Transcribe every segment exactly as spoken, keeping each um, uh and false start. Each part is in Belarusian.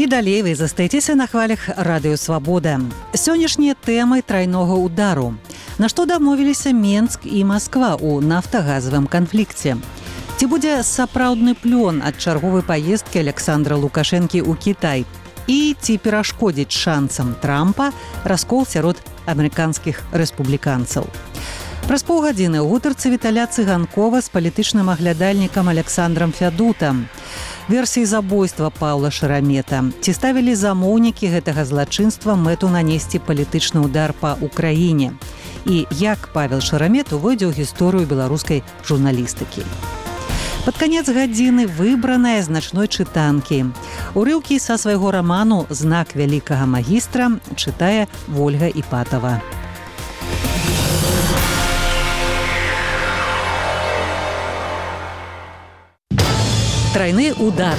далей вы застаецеся на хвалях радыё Свабода. Сённяшнія тэмы трайнога удару. На што дамовіліся Менск і Масква ў нафтагазавым канфлікце? Ці будзе сапраўдны плён ад чарговай паездкі Александра Лукашэнкі ў Кітай? І ці перашкодзіць шансам Трампа раскол сярод амерыканскіх рэспубліканцаў? Праз паўгадзіны ў гутарцы Віталя Цыганкова з палітычным аглядальнікам Александром Фядутам. Версіі забойства Паўла Шарамета. Ці ставілі замоўнікі гэтага злачынства мэту нанесці палітычны ўдар па Украіне? І як Павел Шарамет увойдзе ў гісторыю беларускай журналістыкі? Пад канец гадзіны выбраная значной чытанкі. Урыўкі са свайго раману «Знак вялікага магістра» чытае Вольга Іпатава. Трайны удар.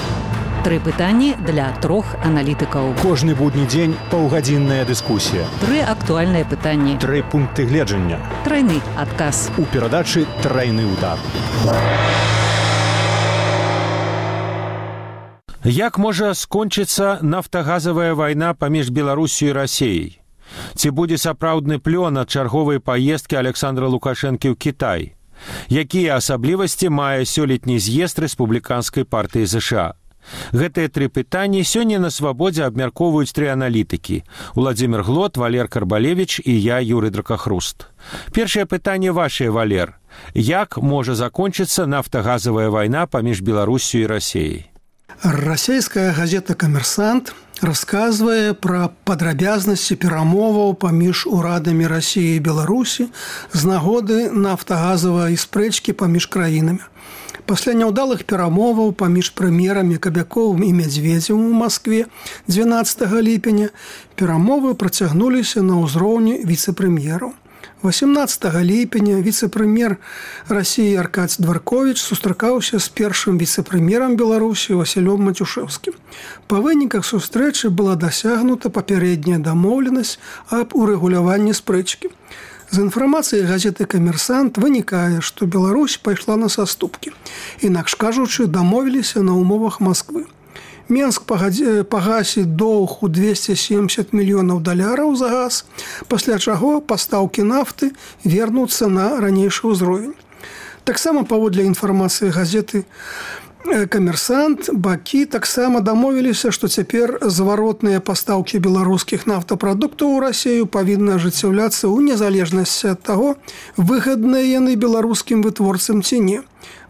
Тры пытанні для трох аналітыкаў. Кожны будні дзень паўгадзінная дыскусія. Тры актуальныя пытанні. Тры пункты гледжання. Трайны адказ. У перадачы «Трайны удар». Як можа скончыцца нафтагазавая вайна паміж Беларусю і Расіяй? Ці будзе сапраўдны плён ад чарговай паездкі Александра Лукашэнкі ў Кітай? Якія асаблівасці мае сёлетні з'езд рэспубліканскай партыі ЗША? Гэтыя тры пытанні сёння на Свабодзе абмяркоўваюць тры аналітыкі. Уладзімір Глот, Валер Карбалевіч і я, Юрый Дракахруст. Першае пытанне вашае, Валер. Як можа закончыцца нафтагазавая вайна паміж Беларусю і Расіяй? Расійская газета «Камерсант» расказвае пра падрабязнасці перамоваў паміж урадамі Расіі і Беларусі з нагоды нафтагазавай спрэчкі паміж краінамі. Пасля няўдалых перамоваў паміж прэм'ерамі Кабяковым і Мядзведзевым у Маскве дванаццатага ліпеня перамовы працягнуліся на ўзроўні віцэ-прэм'ераў. восемнадцатага ліпеня віцэ-прэм'ер Расіі Аркадзь Дварковіч сустракаўся з першым віцэ-прэм'ерам Беларусі Васілём Матюшэўскім. Па выніках сустрэчы была дасягнута папярэдняя дамоўленасць аб урэгуляванні спрэчкі. З інфармацыі газеты «Камерсант» вынікае, што Беларусь пайшла на саступкі. Інакш кажучы, дамовіліся на ўмовах Масквы. Менск пагасіць доўг у двесце семдзесят мільёнаў даляраў за газ, пасля чаго пастаўкі нафты вернуцца на ранейшы ўзровень. Таксама паводле інфармацыі газеты «Камерсант» бакі таксама дамовіліся, што цяпер зваротныя пастаўкі беларускіх нафтапрадуктаў у Расію павінны ажыццяўляцца ў незалежнасці ад таго, выгадныя яны беларускім вытворцам ці не.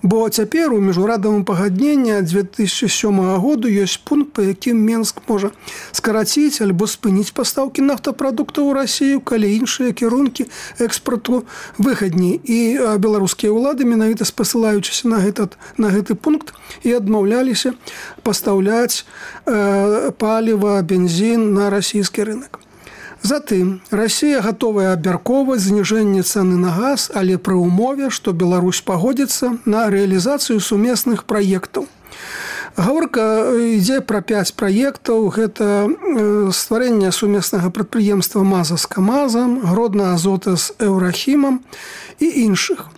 Бо цяпер у міжнародным пагадненні дзве тысячы сёмага году ёсць пункт, па якім Менск можа скараціць альбо спыніць пастаўкі нафтапрадуктаў у Расію, калі іншыя кірункі экспарту выгадней. І беларускія ўлады, менавіта спасылаючыся на гэты, на гэты пункт, і адмаўляліся пастаўляць э, паліва, бензін на расійскі рынок. Затым Расія гатовая абмяркоўваць зніжэнне цэны на газ, але пры ўмове, што Беларусь пагодзіцца на рэалізацыю сумесных праектаў. Гаворка ідзе пра пяць праектаў. Гэта стварэнне сумеснага прадпрыемства «Маза» з «КамАЗам», «Гродна Азота» з «Еўрахімам» і іншых.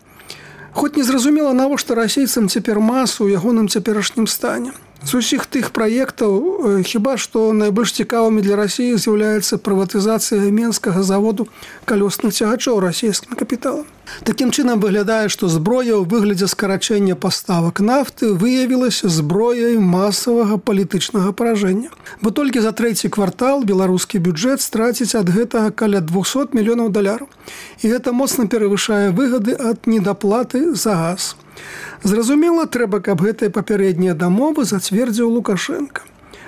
Хоць не зразумела, навошта расійцам цяпер «Маз» у ягоным цяперашнім стане. З усіх тых праектаў хіба што найбольш цікавымі для Расіі з'яўляецца прыватызацыя менскага заводу калёсных цягачоў расійскім капіталам. Такім чынам выглядае, што зброя ў выглядзе скарачэння паставак нафты выявілася зброяй масавага палітычнага паражэння. Бо толькі за трэці квартал беларускі бюджэт страціць ад гэтага каля двухсот мільёнаў даляраў. І гэта моцна перавышае выгады ад недаплаты за газ. Зразумела, трэба, каб гэтыя папярэднія дамовы зацвердзіў Лукашенка.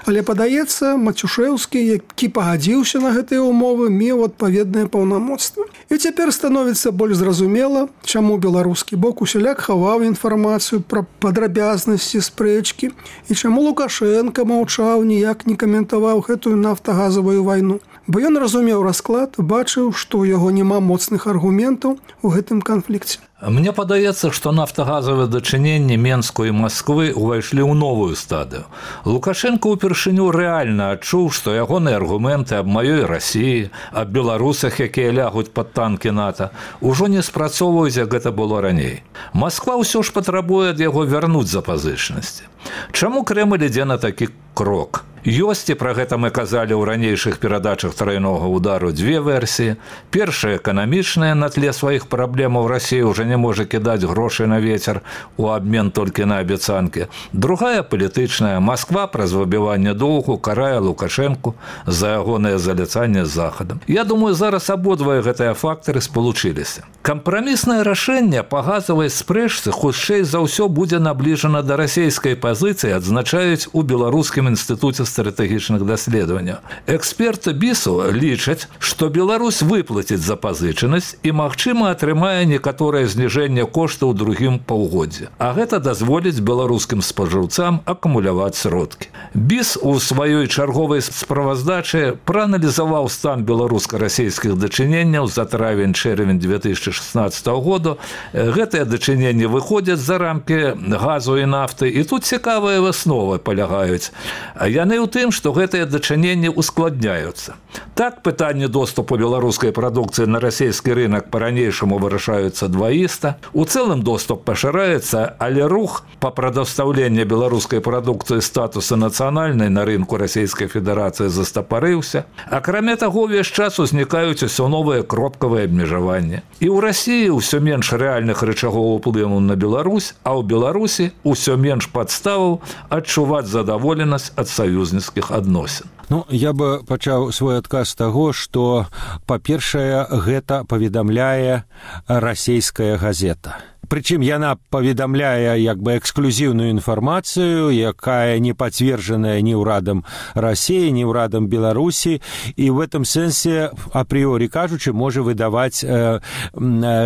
Але, падаецца, Матюшэўскі, які пагадзіўся на гэтыя ўмовы, меў адпаведнае паўнамоцтва. І цяпер становіцца больш зразумела, чаму беларускі бок усяляк хаваў інфармацыю пра падрабязнасці спрэчкі і чаму Лукашенка маўчаў, ніяк не каментаваў гэтую нафтагазавую вайну. Бо ён разумеў расклад, бачыў, што ў яго няма моцных аргументаў у гэтым канфлікце. Мне падаецца, што нафтагазавыя дачыненні Менску і Масквы ўвайшлі ў новую стадыю. Лукашенко ўпершыню рэальна адчуў, што ягоныя аргументы аб маёй Расіі, аб беларусах, якія лягуць пад танкі НАТО, ужо не спрацоўваюць, як гэта было раней. Масква ўсё ж патрабуе ад яго вярнуць запазычнасці. Чаму Крэмль ідзе на такі крок? Ёсць, і пра гэта мы казалі ў ранейшых перадачах трайнога удару, дзве версіі. Першая эканамічная, на тле сваіх праблемаў Расія ўжо не можа кідаць грошы на вецер у абмен толькі на абяцанкі. Другая палітычная. Масква праз выбіванне доўгу карае Лукашэнку за ягонае заляцанне з Захадам. Я думаю, зараз абодва гэтыя фактары спалучыліся. Кампраміснае рашэнне па газавай спрэчцы хутчэй за ўсё будзе набліжана да расійскай пазіцыі, адзначаюць у Беларускім інстытуце стратэгічных даследаванняў. Эксперты бісу лічаць, што Беларусь выплаціць запазычанасць і, магчыма, атрымае некаторае зніжэнне коштаў у другім паўгоддзі. А гэта дазволіць беларускім спажыўцам акумуляваць сродкі. Біс у сваёй чарговай справаздачы прааналізаваў стан беларуска-расійскіх дачыненняў за травень-чэрвень две тысячи шестнадцатого года. Гэтыя дачыненні выходзяць за рамкі газу і нафты, і тут цікавыя высновы палягаюць. Яны ў тым, што гэтыя дачыненні ускладняюцца. Так, пытанне доступу беларускай прадукцыі на расійскі рынок па-ранейшаму вырашаюцца дваіста. У цэлым доступ пашыраецца, але рух па прадастаўленні беларускай прадукцыі статуса нацыянальнай на рынку Расійскай Федэрацыі застапарыўся. Акрамя таго, увесь час узнікаюць усё новыя кропкавыя абмежаванні. І ў Расіі ўсё менш рэальных рычагоў уплыву на Беларусь, а ў Беларусі ўсё менш падставаў адчуваць задаволенасць ад саюзніцкіх адносін. Ну, я бы пачаў свой адказ з таго, што, па-першае, гэта паведамляе расійская газета. Прычым яна паведамляе як бы эксклюзіўную інфармацыю, якая не пацверджаная ні ўрадам Расіі, ні ўрадам Беларусі, і в этом сэнсе, апрыёрі кажучы, можа выдаваць э,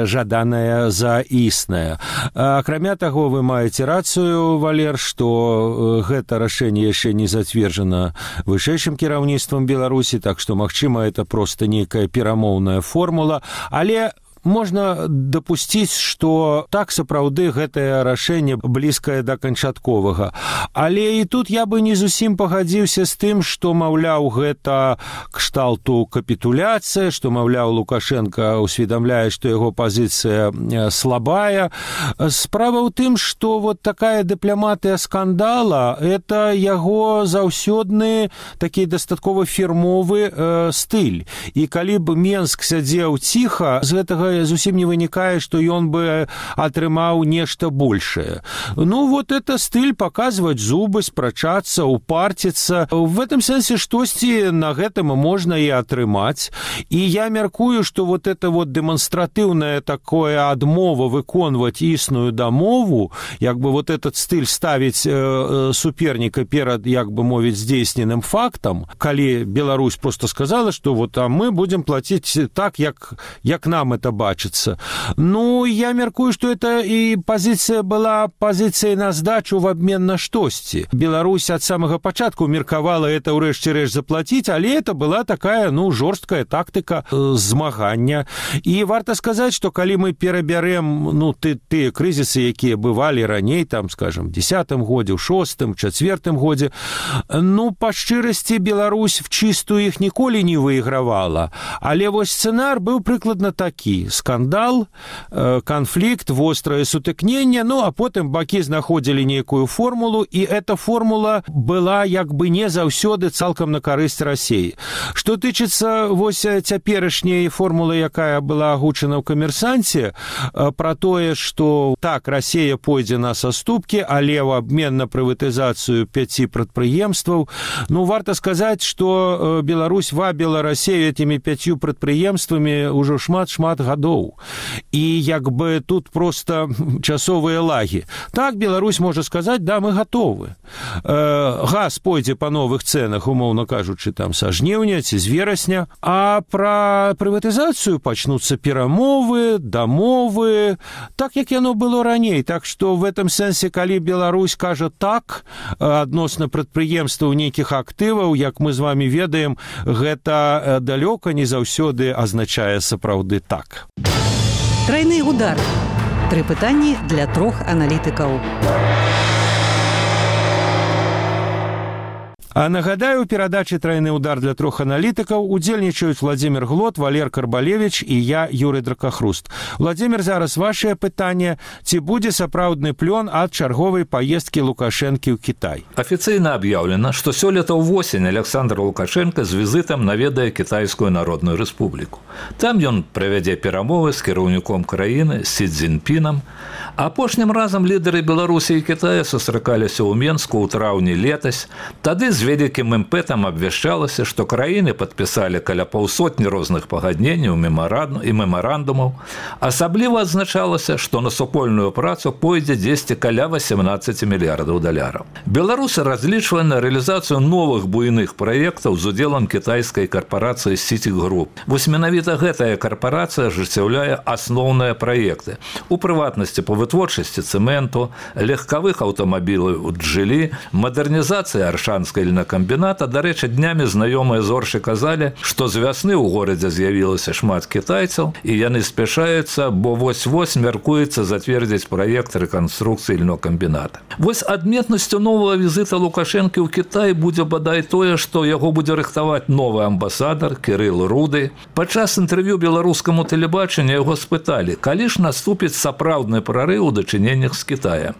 жаданае за існае. Акрамя таго, вы маеце рацыю, Валер, што гэта рашэнне яшчэ не зацверджана вышэйшым кіраўніцтвам Беларусі, так што, магчыма, это проста нейкая перамоўная формула, але можна дапусціць, што так сапраўды гэтае рашэнне блізкае да канчатковага. Але і тут я бы не зусім пагадзіўся з тым, што, маўляў, гэта кшталту капітуляцыя, што, маўляў, Лукашенко усведамляе, што яго пазіцыя слабая. Справа ў тым, што вот такая дыпламатыя скандала – это яго заўсёдны такі дастаткова фірмовы э, стыль. І калі б Менск сядзеў ціха, з гэтага зусім не вынікае, што ён бы атрымаў нешта большее. Ну, вот это стыль паказваць зубы, спрачацца, упарціцца. В этом сэнсе штосьці на гэтым можна і атрымаць. І я мяркую, што вот это вот дэманстратыўнае такое адмова выконваць існую дамову, як бы вот этот стыль ставіць э, суперніка перад, як бы мовіць, здзейсненым фактам, калі Беларусь просто сказала, што вот а мы будем платіць так, як, як нам это бачыцца. Ну, я мяркую, што это і пазіцыя была пазіцыяй на здачу в абмен на штосьці. Беларусь ад самага пачатку меркавала это ўрэшце рэшт заплаціць, але это была такая, ну, жорсткая тактыка э, змагання. І варта сказаць, што калі мы перабярэм, ну, ты, тыя крызісы, якія бывалі раней, там, скажем, десятым годзе, ў шостым, чацвёртым годзе, ну, па шчырасці Беларусь в чистую іх ніколі не выйгравала. Але вось сцэнар быў прыкладна такі. Скандал, канфлікт, вострае сутыкненне, ну, а потым бакі знаходзілі нейкую формулу, і эта формула была як бы не заўсёды цалкам на карысць Расіі. Што тычыцца вось цяперашняй формулы, якая была агучана ў камерсанце, пра тое, што так, Расія пойдзе на саступкі, але ў абмен на прыватызацыю пяці прадпрыемстваў, ну, варта сказаць, што Беларусь вабіла Расію этімі пяцю прадпрыемствамі ўжо шмат-шмат гадоў. І як бы тут просто часовыя лагі. Так, Беларусь можа сказаць, да, мы гатовы. Э, газ пойдзе па новых цэнах, умоўна кажучы, там са жніўня ці з верасня, а пра прыватызацыю пачнуцца перамовы, дамовы, так, як яно было раней. Так што в этом сэнсе, калі Беларусь кажа так адносна прадпрыемстваў нейкіх актываў, як мы з вами ведаем, гэта далёка не заўсёды азначае сапраўды так. Трайны удар. Тры пытанні для трох аналітыкаў. А нагадаю, у перадачы «Трайны удар» для трох аналітыкаў удзельнічаюць Владзімір Глот, Валер Карбалевіч і я, Юрый Дракахруст. Владзімір, зараз вашее пытанне. Ці будзе сапраўдны плён ад чарговай паездкі Лукашэнкі ў Кітай? Афіцыйна аб'яўлена, што сёлета ўвосень Александр Лукашенко з візітам наведае Кітайскую Народную Рэспубліку. Там ён правядзе перамовы з кіраўніком краіны Сі Цзіньпінам. Апошнім разам лідары Беларусі і Кітая сустракаліся ў Менску ў траўні летась. Тады з вялікім імпэтам абвяшчалася, што краіны падпісалі каля паўсотні розных пагадненняў і мемарандумаў. Асабліва адзначалася, што на супольную працу пойдзе дзесьці каля васемнаццаць мільярдаў даляраў. Беларусы разлічвае на рэалізацыю новых буйных праектаў з удзелам кітайскай карпорацыі Сіці Груп. Вось менавіта гэтая карпорацыя ажыццяўляе асноўныя праекты. У прыватнасці па вытворчасці цэменту, легкавых аўтамабіляў «Джылі», мадэрнізацыя Аршанскай льнакамбіната. Дарэчы, днямі знаёмыя зоршы казалі, што з вясны ў горадзе з'явілася шмат кітайцаў, і яны спяшаюцца, бо вось-вось мяркуецца зацвердзіць праект рэканструкцыі льнокамбіната. Вось адметнасцю новага візіта Лукашэнкі ў Кітай будзе бадай тое, што яго будзе рыхтаваць новы амбасадар Кірыл Руды. Падчас інтэрв'ю беларускаму тэлебачанню яго спыталі, калі ж наступіць сапраўдны прарыў у дачыненнях з Кітая.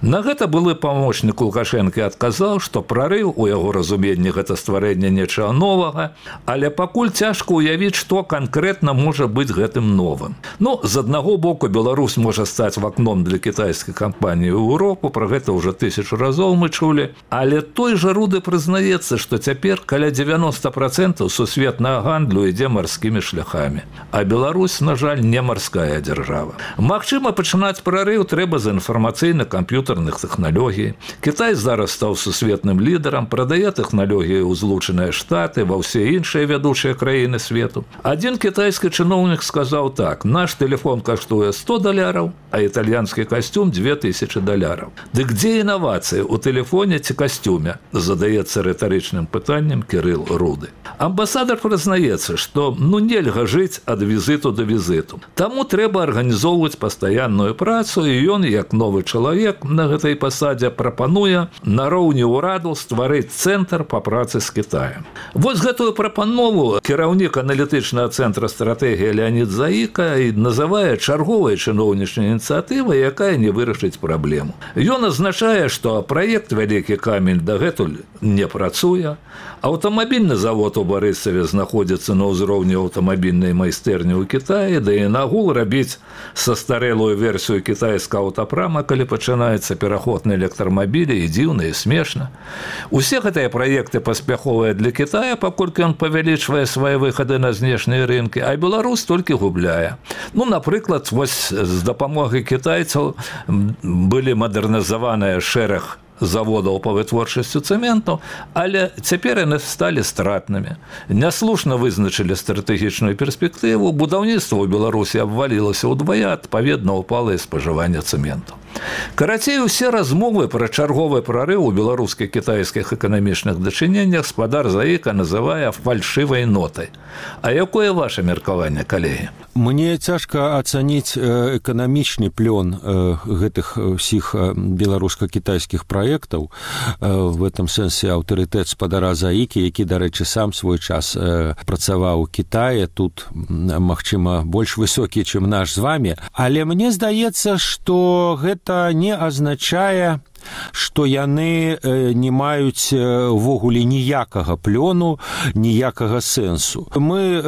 На гэта былы памочнік Лукашэнкі адказаў, што прарыў у яго разуменні гэта стварэнне нечага новага, але пакуль цяжка ўявіць, што канкрэтна можа быць гэтым новым. Ну, з аднаго боку, Беларусь можа стаць вакном для кітайскай кампаніі ў Еўропу, пра гэта ўжо тысячу разоў мы чулі, але той жа Руды прызнаецца, што цяпер каля дзевяноста працэнтаў сусветнага гандлю ідзе марскімі шляхамі. А Беларусь, на жаль, не марская дзяржава. Магчыма, пачынаць прарыў трэба з інфармацыйна камп'ютарных тэхналогій. Кітай зараз стаў сусветным лідарам, прадае тэхналогіі ў Злучаныя Штаты, ва ўсе іншыя вядучыя краіны свету. Адзін кітайскі чыноўнік сказаў так: наш тэлефон каштуе сто даляраў, а італьянскі касцюм две тысячы даляраў. Дык дзе інавацыі, у тэлефоне ці касцюме? Задаецца рытарычным пытаннем Кірыл Руды. Амбасадар прызнаецца, што ну нельга жыць ад візіту да візіту. Таму трэба арганізоўваць пастаянную працу, і ён, як новы чалавек на гэтай пасадзе, прапануе нароўні ўраду стварыць цэнтр па працы з Кітаем. Вось гэтую прапанову кіраўнік аналітычнага цэнтра стратэгіі Леонід Заіка і называе чарговай чыноўнічнай ініцыятывай, якая не вырашыць праблему. Ён азначае, што праект «Вялікі камень» дагэтуль не працуе, аўтамабільны завод у Барысаве знаходзіцца на ўзроўні аўтамабільнай майстэрні ў Кітаі, да і нагул рабіць састарэлую версію кітайскага аўтапрама, калі пачынаецца пераход на электрамабілі, і дзіўна, і смешна. Усе гэтыя праекты паспяховыя для Кітая, паколькі ён павялічвае свае выхады на знешнія рынкі, а Беларусь толькі губляе. Ну, напрыклад, вось з дапамогай кітайцаў былі мадэрнізаваныя шэраг заводаў па вытворчасці цэменту, але цяпер яны сталі стратнымі. Няслушна вызначылі стратэгічную перспектыву, будаўніцтва ў Беларусі абвалілася ўдвая, адпаведна ўпала і спажыванне цэменту. Карацей, усе размовы пра чарговы прарыў у беларуска-кітайскіх эканамічных дачыненнях спадар Заіка называе фальшывай нотай. А якое ваше меркаванне, калегі? Мне цяжка ацаніць эканамічны плён гэтых ўсіх беларуска-кітайскіх праектаў. В этом сэнсе аўтарытэт спадара Заікі, які, дарэчы, сам свой час працаваў у Кітаі, тут, магчыма, больш высокі, чым наш з вами. Але мне здаецца, што гэта не азначае, што яны не маюць увогуле ніякага плёну, ніякага сэнсу. Мы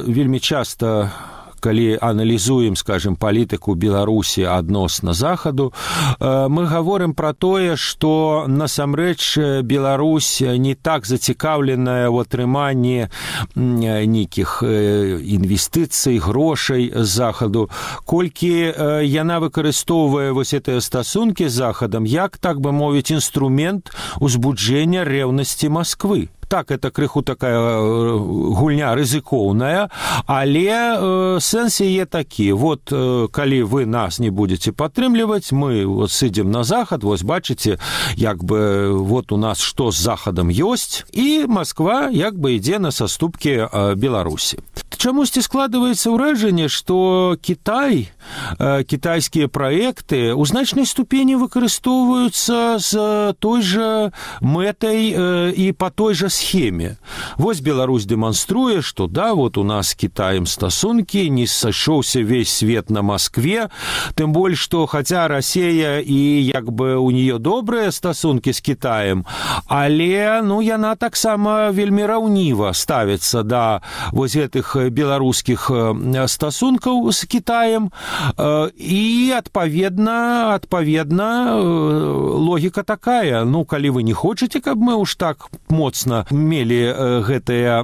вельмі часта, калі аналізуем, скажем, палітыку Беларусі адносна захаду, мы гаворым пра тое, што насамрэч Беларусь не так зацікаўленая ў атрыманні нейкіх інвестыцый, грошай з захаду, колькі яна выкарыстоўвае вось гэтыя стасункі з захадам як, так бы мовіць, інструмент узбуджэння рэўнасці Масквы. Так, это крыху такая гульня рызыкоўная, але э, сэнс яе такі. Вот, э, калі вы нас не будете падтрымліваць, мы вот сыдзем на захад, вось бачыце, як бы вот у нас што з захадам ёсць, і Масква як бы ідзе на саступкі э, Беларусі. чамусьці складваецца ўражанне, што Кітай, кітайскія праекты ў значнай ступені выкарыстоўваюцца з той жа мэтай і па той жа схеме. Вось Беларусь дэманструе, што да, вот у нас з Кітаем стасункі, не сышоўся весь свет на Маскве, тым больш, што хаця Расія і як бы у нее добрыя стасункі з Кітаем, але ну, яна таксама вельмі раўніва ставіцца да вось гэтых беларускіх стасункаў з Кітаем, і адпаведна, адпаведна логіка такая. Ну, калі вы не хочаце, каб мы уж так моцна мелі гэтае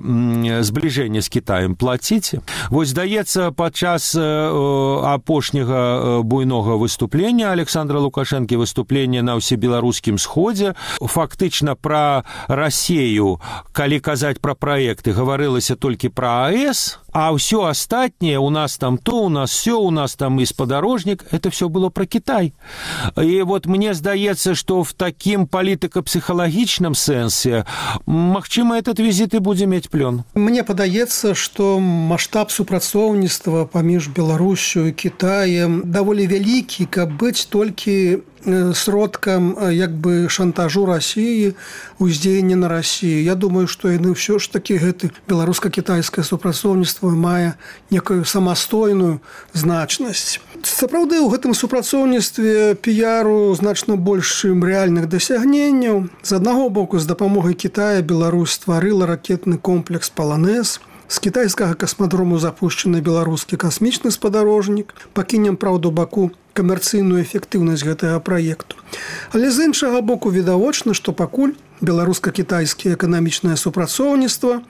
збліжэнне з Кітаем, плаціце. Вось, здаецца, падчас апошняга буйнога выступлення Александра Лукашэнкі, выступлення на ўсебеларускім сходзе, фактычна пра Расію, калі казаць пра праекты, гаварылася толькі пра АЭС, а ўсё астатняе, у нас там то, у нас всё, у нас там і спадарожнік, это все было про Кітай. І вот мне здаецца, што в такім палітыка-псіхалагічным сэнсе, магчыма, этот візіт і будзе мець плён. Мне падаецца, што маштаб супрацоўніцтва паміж Беларусю і Кітаем даволі вялікі, каб быць толькі сродкам як бы шантажу Расіі, уздзеяння на Расію. Я думаю, што яны ўсё ж такі гэты беларуска-кітайскае супрацоўніцтва мае некую самастойную значнасць. Сапраўды, у гэтым супрацоўніцтве піяру значна больш, чым рэальных дасягненняў. З аднаго боку, з дапамогай Кітая Беларусь стварыла ракетны комплекс «Паланез», з кітайскага касмадрому запущены беларускі касмічны спадарожнік. Пакінем, праўда, баку камерцыйную эфектыўнасць гэтага праекту. Але з іншага боку відавочна, што пакуль беларуска-кітайскае эканамічнае супрацоўніцтва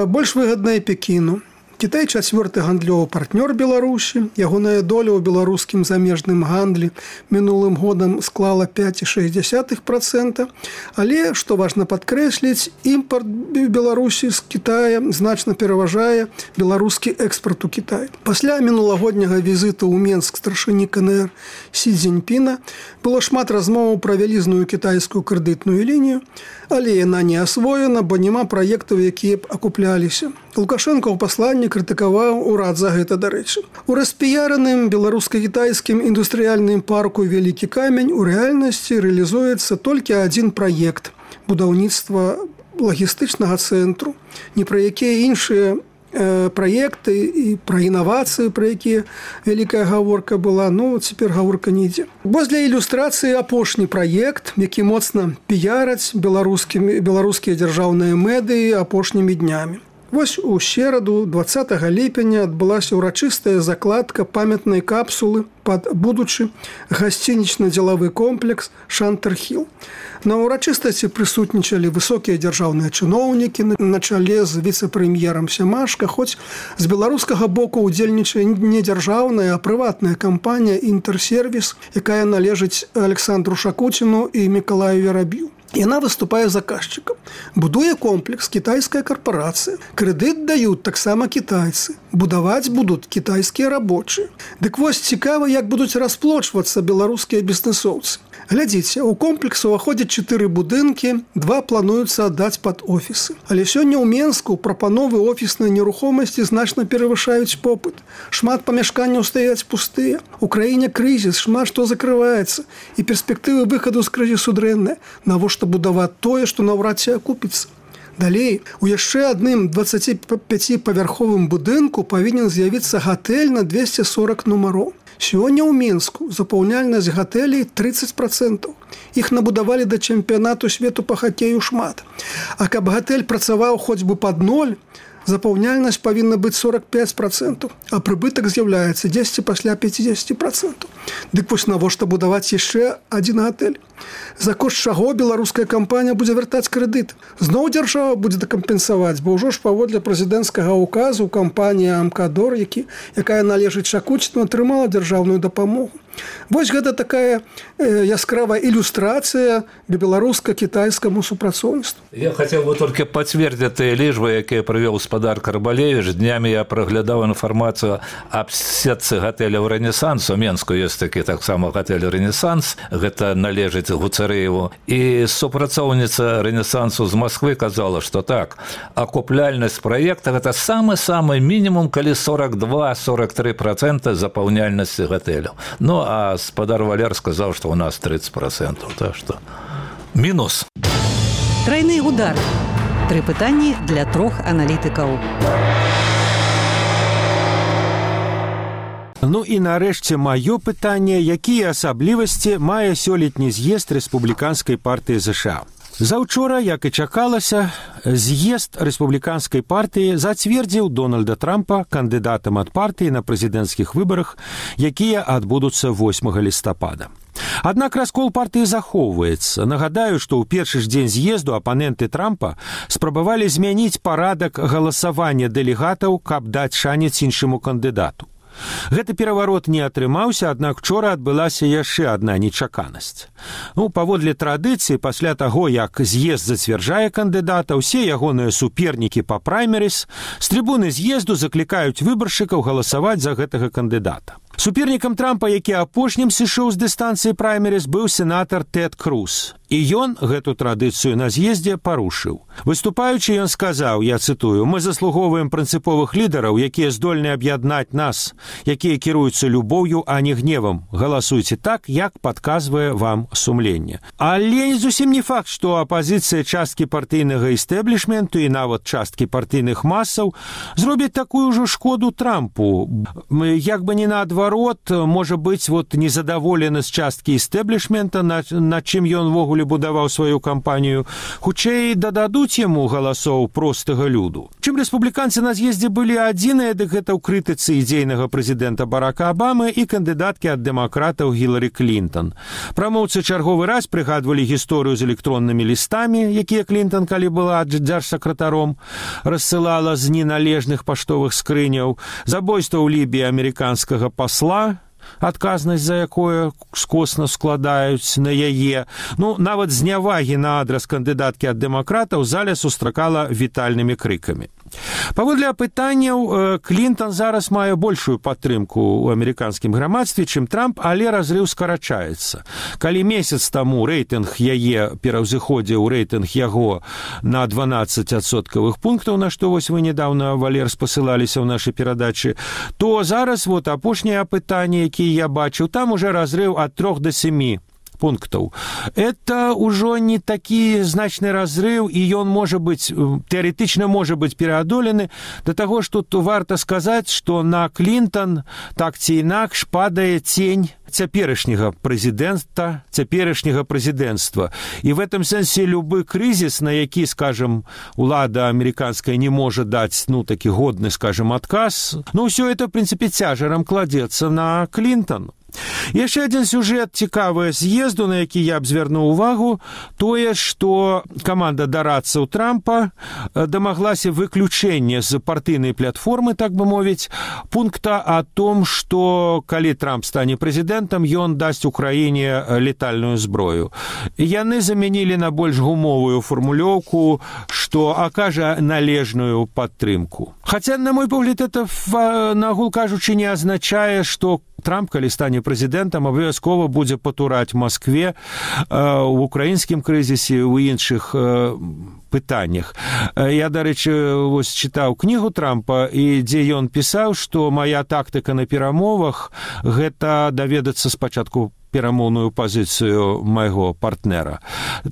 больш выгаднае Пекіну. Кітай чацвёрты гандлёвы партнёр Беларусі. Ягоная доля ў беларускім замежным гандлі мінулым годам склала пяць цалых шэсць дзесятых працэнта. Але, што важна падкрэсліць, імпарт Беларусі з Кітая значна пераважае беларускі экспарт у Кітай. Пасля мінулагодняга візіту ў Менск старшыні КНР Сі Цзіньпіна было шмат размоваў пра вялізную кітайскую крэдытную лінію, але яна не асвоена, бо няма праектаў, якія б акупляліся. Лукашенко ў пасланні крытыкаваў урад за гэта, дарэчы. У распіяраным беларуска-кітайскім індустрыяльным парку «Вялікі камень» у рэальнасці рэалізуецца толькі адзін праект – будаўніцтва лагістычнага цэнтру. Ні пра якія іншыя праекты і пра інавацыі, пра якія вялікая гаворка была, ну, цяпер гаворка не ідзе. Вось для ілюстрацыі апошні праект, які моцна піяраць беларускія дзяржаўныя медыі апошнімі днямі. Вось у сераду дваццатага ліпеня адбылася ўрачыстая закладка памятнай капсулы пад будучы гасцінічна-дзелавы комплекс «Шантер-Хілл». На ўрачыстасці прысутнічалі высокія дзяржаўныя чыноўнікі на чале з віцэ-прэм'ерам Сямашка, хоць з беларускага боку ўдзельнічае не дзяржаўная, а прыватная кампанія «Інтэрсервіс», якая належыць Александру Шакуціну і Мікалаю Вераб'ю. Яна выступае заказчыкам. Будуе комплекс кітайская карпорацыя. Крэдыт даюць таксама кітайцы. Будаваць будуць кітайскія рабочыя. Дык вось цікава, як будуць расплочвацца беларускія бізнэсоўцы. Глядзіце, у комплекс уваходзяць чатыры будынкі, два плануюцца аддаць пад офісы. Але сёння ў Менску прапановы офіснай нерухомасці значна перавышаюць попыт. Шмат памяшканняў стаяць пустыя. У краіне крызіс, шмат што закрываецца. І перспектывы выхаду з крызісу дрэнныя. Навошта будаваць тое, што наўрад ці акупіцца? Далей, у яшчэ адным дваццаціпяціпавярховым будынку павінен з'явіцца гатэль на двесце сорак нумароў. Сёння ў Мінску запаўняльнасць гатэлей трыццаць працэнтаў. Іх набудавалі да чэмпіянату свету па хакею шмат. А каб гатэль працаваў хоць бы пад ноль, запаўняльнасць павінна быць сорак пяць працэнтаў, а прыбытак з'яўляецца дзесяць пасля пяцідзесяці працэнтаў. Дык вось навошта будаваць яшчэ адзін гатэль? За кошт чаго беларуская кампанія будзе вяртаць крэдыт? Зноў дзяржава будзе дакампенсаваць, бо ўжо ж паводле прэзідэнцкага ўказу кампанія «Амкадор», які, якая належыць Шакуціну, атрымала дзяржаўную дапамогу. Вось гэта такая э, яскравая ілюстрацыя беларуска-кітайскаму супрацоўніцтву. Я хацеў бы толькі пацвердзіць тыя лічбы, якія прывёў спадар Карбалевіч. Днямі я праглядаў інфармацыю аб сетцы гатэляў «Рэнесанс». У Менску ёсць такі таксама гатэль «Рэнесанс». Гэта належыць Леонид Гуцарееву. И супрацоўніца Ренессансу з Москвы казала, что так, акупляльнасць проекта это самы-самы мінімум, калі сорок два - сорок три процента запаўняльнасці гатэляў. Ну, а спадар Валер сказал, что у нас тридцать процентов. Так что минус. Тройны удар. Тры пытанні для трох аналітыкаў. Ну і нарэшце маё пытанне, якія асаблівасці мае сёлетні з'езд рэспубліканскай партыі ЗША. Заўчора, як і чакалася, з'езд рэспубліканскай партыі зацвердзіў Дональда Трампа кандыдатам ад партыі на прэзідэнцкіх выбарах, якія адбудуцца восьмага лістапада. Аднак раскол партыі захоўваецца. Нагадаю, што ў першы ж дзень з'езду апаненты Трампа спрабавалі змяніць парадак галасавання дэлегатаў, каб даць шанец іншаму кандыдату. Гэты пераварот не атрымаўся, аднак учора адбылася яшчэ адна нечаканасць. Ну, паводле традыцыі, пасля таго, як з'езд зацвярджае кандыдата, усе ягоныя супернікі па праймерыс з трыбуны з'езду заклікаюць выбаршчыкаў галасаваць за гэтага кандыдата. Супернікам Трампа, які апошнім сышоў з дыстанцыі праймерыс, быў сенатар Тэд Круз. І ён гэту традыцыю на з'ездзе парушыў. Выступаючы, ён сказаў, я цытую, «Мы заслугоўваем прынцыповых лідараў, якія здольны аб'яднаць нас, якія кіруюцца любоўю, а не гневам. Галасуйце так, як падказвае вам сумленне». Але зусім не факт, што апазіцыя часткі партыйнага істэблішменту і нават часткі партыйных масаў зробіць такую ўжо шкоду Трампу. Як бы не наадварот, можа быць, вот незадаволены з часткі істэблішмента, над, над чым ён вогуле будаваў сваю кампанію, хутчэй дададуць яму галасоў простага люду. Чым рэспубліканцы на з'ездзе былі адзіныя, дык гэта ў крытыцы ідзейнага прэзідэнта Барака Абамы і кандыдаткі ад дэмакратаў Гілары Клінтон. Прамоўцы чарговы раз прыгадвалі гісторыю з электроннымі лістамі, якія Клінтон, калі была дзяржсакратаром, рассылала з неналежных паштовых скрыняў, забойства ў Лібіі амерыканскага пасла, адказнасць за якое скосна складаюць на яе. Ну, нават знявагі на адрас кандыдаткі ад дэмакратаў зале сустракала вітальнымі крыкамі. Паводле апытанняў, Клінтон зараз мае большую падтрымку ў амерыканскім грамадстве, чым Трамп, але разрыў скарачаецца. Калі месяц таму рэйтынг яе пераўзыходзіў рэйтынг яго на дванаццаць адсоткавых пунктаў, на што вось вы недавно, Валер, спасылаліся ў нашай перадачы, то зараз вот апошняе апытанне, якія я бачыў, там уже разрыв ад трох да сямі пунктаў. Это ўжо не такі значны разрыв, і ён можа быць, тэарэтычна можа быць пераадолены, да таго, што тут варта сказаць, што на Клінтон так ці інакш падае цень цяперашняга прэзідэнта, цяперашняга прэзідэнцтва. І в этом сэнсе любы крызіс, на які, скажем, улада амерыканская не можа даць, ну, такі годны, скажем, адказ, ну, ўсё это, в прынцыпе, цяжарам кладзецца на Клінтон. Яшчэ адзін сюжэт цікавы з'езду, на які я б звярнуў увагу, тое, што каманда дарадцаў Трампа дамаглася выключэння з партыйнай платформы, так бы мовіць, пункта о том, што калі Трамп стане прэзідэнтам, ён дасць Украіне летальную зброю. Яны замянілі на больш гумовую фармулёўку, што акажа належную падтрымку. Хаця, на мой погляд, это, нагул кажучы, не азначае, што Трамп, калі стане прэзідэнтам, абавязкова будзе патураць Маскве ў украінскім крызісе, у іншых пытаннях. Я, дарэчы, вось чытаў кнігу Трампа, і дзе ён пісаў, што мая тактыка на перамовах – гэта даведацца спачатку перамоўную пазіцыю майго партнера.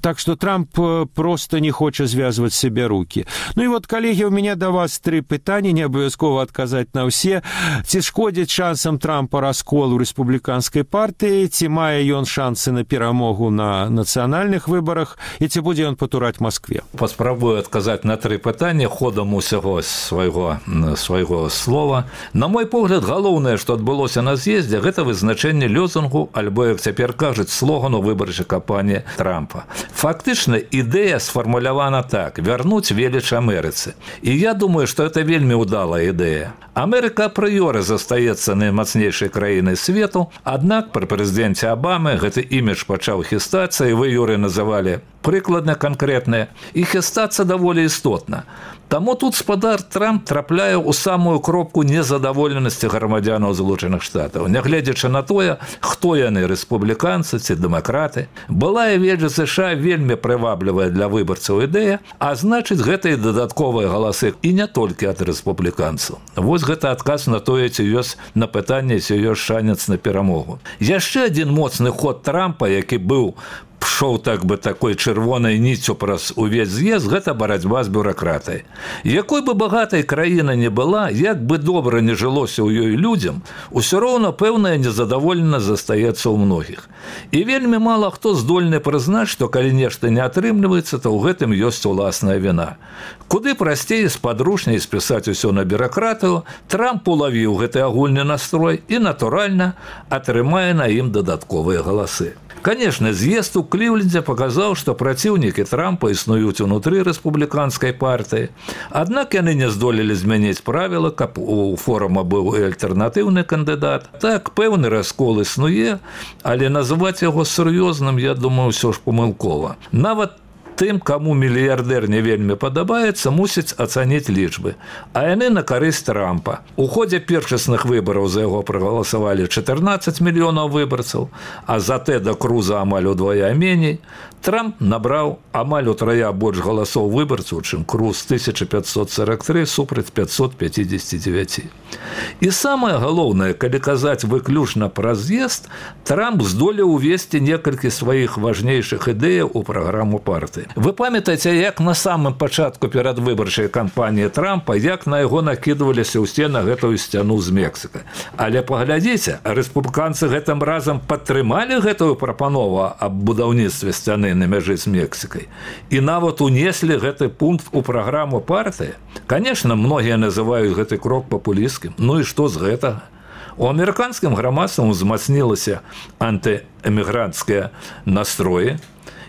Так што Трамп просто не хоча звязваць себе рукі. Ну і вот, калегі, у меня да вас тры пытанні, не абавязкова адказаць на ўсе. Ці шкодзіць шансам Трампа раскол у рэспубліканскай партыі, ці мае ён шансы на перамогу на нацыянальных выбарах, і ці будзе ён патураць Маскве? Паспрабую адказаць на тры пытанні ходам усяго свайго, свайго слова. На мой погляд, галоўнае, што адбылося на з'ездзе, гэта вызначэнне лёзунгу альбо, як цяпер кажуць, слогану выбарчай кампаніі Трампа. Фактычна, ідэя сфармулявана так – вярнуць веліч Амерыцы. І я думаю, што это вельмі ўдалая ідэя. Амерыка апрыёры застаецца наймацнейшай краінай свету, аднак пры прэзідэнце Абамы гэты імідж пачаў хістацца, і вы, Юры, называлі прыкладна канкрэтнае, і хістацца даволі істотна. Таму тут спадар Трамп трапляе ў самую кропку незадаволенасці грамадзянаў Злучаных Штатаў, нягледзячы на тое, хто яны, рэспубліканцы ці дэмакраты. Былая ведзя США вельмі прываблівая для выбарцаў ідэя, а значыць, гэта і дадатковыя галасы і не толькі ад рэспубліканцаў. Вось гэта адказ на тое, ці ёсць на пытанне, ці ёсць шанец на перамогу. Яшчэ адзін моцны ход Трампа, які быў пшоў так бы такой чырвонай ніццю праз увесь з'езд, гэта барацьба з бюракратай. Якой бы багатай краіна не была, як бы добра не жылося ў ёй людзям, усё роўна пэўная незадаволенасць застаецца ў многіх. І вельмі мала хто здольны прызнаць, што калі нешта не атрымліваецца, то ў гэтым ёсць уласная віна. Куды прасцей спадручней спісаць усё на бюракратыю, Трамп улавіў гэты агульны настрой і, натуральна, атрымае на ім дадатковыя галасы. Конечно, з'езд у Клівленде показаў, што праціўнікі Трампа існуюць унутры рэспубліканскай партыі. Аднак яны не здолелі змяніць правіла, каб у форума быў і альтэрнатыўны кандыдат. Так, пэўны раскол існуе, але называць яго сур'ёзным, я думаю, ўсё ж памылкова. Нават тым, каму мільярдэр не вельмі падабаецца, мусіць ацаніць лічбы. А яны на карысць Трампа. У ходзе першасных выбараў за яго прагаласавалі чатырнаццаць мільёнаў выбарцаў, а за Тэда Круза амаль удвая меней. Трамп набраў амаль утрая больш галасоў выбарцаў, чым Круз тысяча пятьсот сорок три супраць пятьсот пятьдесят девять. І самае галоўнае, калі казаць выключна пра з'езд, Трамп здолеў увесці некалькі сваіх важнейшых ідэяў у праграму партыі. Вы памятаеце, як на самым пачатку перадвыбарчай кампаніі Трампа, як на яго накідваліся ўсе на гэтую сцяну з Мексікай. Але паглядзіце, рэспубліканцы гэтым разам падтрымалі гэтую прапанову аб будаўніцтве сцяны на мяжы з Мексікай. І нават унеслі гэты пункт у праграму партыі. Конечно, многія называюць гэты крок папулісцкім. Ну і што з гэтага? У амерыканскім грамадстве узмацнілася антыэмігранцкія настроі,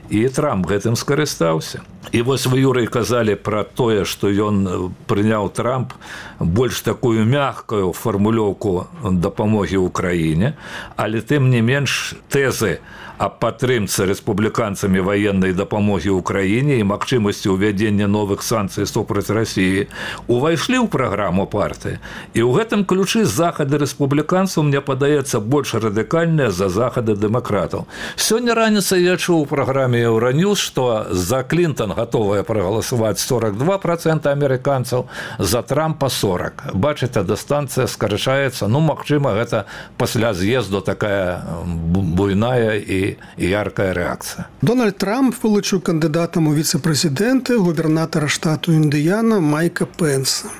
і Трамп гэтым скарыстаўся. І вось вы, Юрый, казалі пра тое, што ён прыняў Трамп больш такую мяккую фармулёўку дапамогі ўкраіне, але тым не менш тэзы аб падтрымцы рэспубліканцамі ваеннай дапамогі ўкраіне і магчымасці ўвядзення новых санкцый супраць Расіі увайшлі ў праграму партыі. І ў гэтым ключы захады рэспубліканцаў, мне падаецца, больш радыкальныя за захады дэмакратаў. Сёння раніцай я чуў у праграме Еўраньюз, што за Клінтон готовая прагаласаваць сорок два процента амерыканцаў, за Трампа сорок. Бачыце, дыстанцыя скарачаецца. Ну, магчыма, гэта пасля з'езду такая буйная і яркая рэакцыя. Дональд Трамп вылучыў кандыдатам у віцэ-прэзідэнты губернатара штату Індыяна Майка Пенса.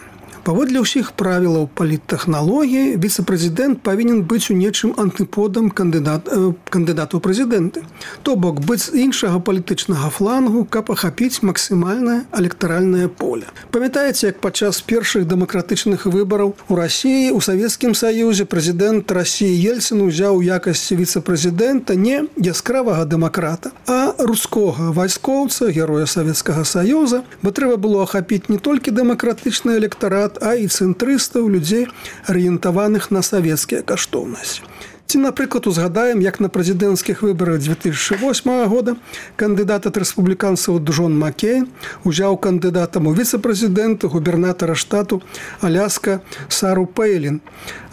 Паводле ўсіх правілаў паліттэхналогіі, віцэ-прэзідэнт павінен быць у нечым антыподам кандыдат, э, кандыдату ў прэзідэнты. То бок, быць з іншага палітычнага флангу, каб ахапіць максімальнае электаральнае поле. Памятаеце, як падчас першых дэмакратычных выбараў у Расіі, у Савецкім Саюзе прэзідэнт Расіі Ельцин узяў у якасці віцэ-прэзідэнта не яскравага дэмакрата, а рускога вайскоўца, героя Савецкага Саюза, бо трэба было ахапіць не толькі дэмакратычны электарат, а і цэнтрыстаў, людзей, арыентаваных на савецкія каштоўнасці. Ці, напрыклад, узгадаем, як на прэзідэнцкіх выбарах дзве тысячы восьмага года кандыдат ад рэспубліканцаў Джон Маккейн узяў кандыдатам у віцэ-прэзідэнты губернатара штату Аляска Сару Пэйлін,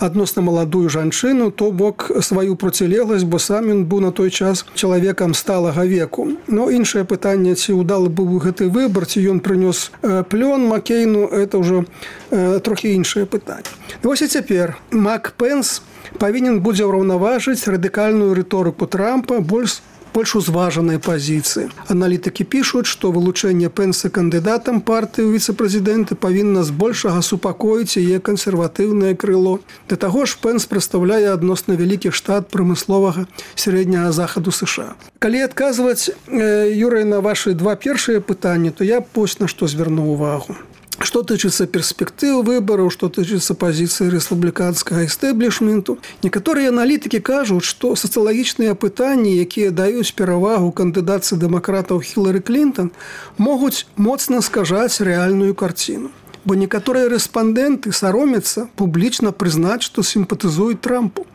адносна маладую жанчыну, то бок сваю процілегласць, бо сам ён быў на той час чалавекам сталага веку. Но іншае пытанне, ці ўдалы быў гэты выбар, ці ён прынёс э, плён Маккейну, это ўжо э, трохі іншае пытанне. Вось і цяпер Мак Пенс павінен будзе ўраўнаважыць радыкальную рыторыку Трампа больш, больш узважанай пазіцыі. Аналітыкі пішуць, што вылучэнне Пенса кандыдатам партыі ў віцэ-прэзідэнты павінна збольшага супакоіць яе кансерватыўнае крыло. Да таго ж Пенс прадстаўляе адносна вялікі штат прамысловага сярэдняга захаду США. Калі адказваць, э, Юрый, на вашы два першыя пытанні, то я вось на што звярну ўвагу. Что тычыцца перспектыў выбараў, што тычыцца пазіцыі рэспубліканскага эстэблішменту, некаторыя аналітыкі кажуць, што сацыялагічныя пытанні, якія даюць перавагу кандыдатцы дэмакратаў Хілары Клінтон, могуць моцна скажаць рэальную карціну. Бо некаторыя рэспандэнты саромяцца публічна прызнаць, што сімпатызуюць Трампу.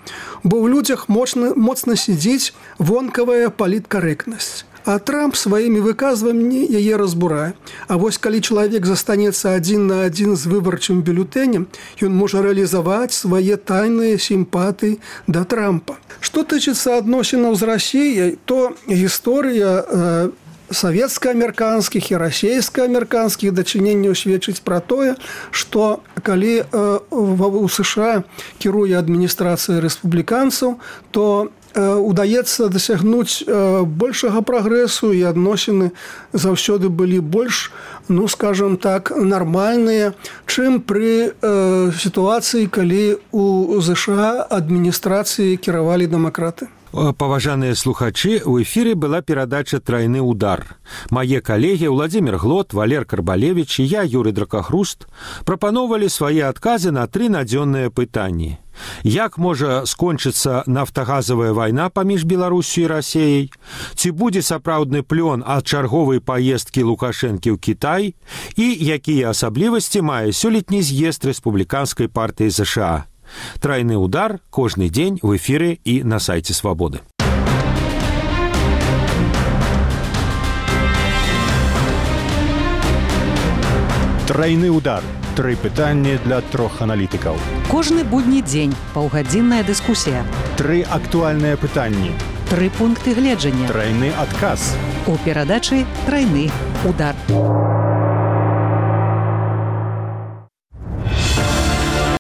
Бо ў людзях моцна, моцна сидзіць вонкавая паліткарэктнасць. А Трамп сваімі выказваннямі яе разбурае. А вось калі чалавек застанецца адзін на адзін з выбарчым бюлетэнем, ён можа рэалізаваць свае тайныя сімпатыі да Трампа. Што тычыцца адносінаў з Расіяй, то гісторыя э, савецка-амерыканскіх і расійска-амерыканскіх дачыненняў сведчыць пра тое, што калі э, у США кіруе адміністрацыя рэспубліканцаў, то удаецца дасягнуць большага прагрэсу, і адносіны заўсёды былі больш, ну, скажем так, нармальныя, чым пры э, сітуацыі, калі у ЗША адміністрацыі кіравалі дэмакраты. Паважаныя слухачы, у эфіры была перадача «Трайны удар». Мае калегі Владзімір Глот, Валер Карбалевіч і я, Юрый Дракахруст, прапаноўвалі свае адказы на тры надзённыя пытанні. Як можа скончыцца нафтагазавая вайна паміж Беларусю і Расіяй? Ці будзе сапраўдны плён ад чарговай паездкі Лукашэнкі ў Кітай? І якія асаблівасці мае сёлетні з'езд рэспубліканскай партыі ЗША? Трайны удар кожны дзень у эфіры і на сайце Свабоды. Трайны удар. Тры пытанні для трох аналітыкаў. Кожны будні дзень паўгадзінная дыскусія. Тры актуальныя пытанні. Тры пункты гледжання. Трайны адказ. У перадачы «Трайны удар».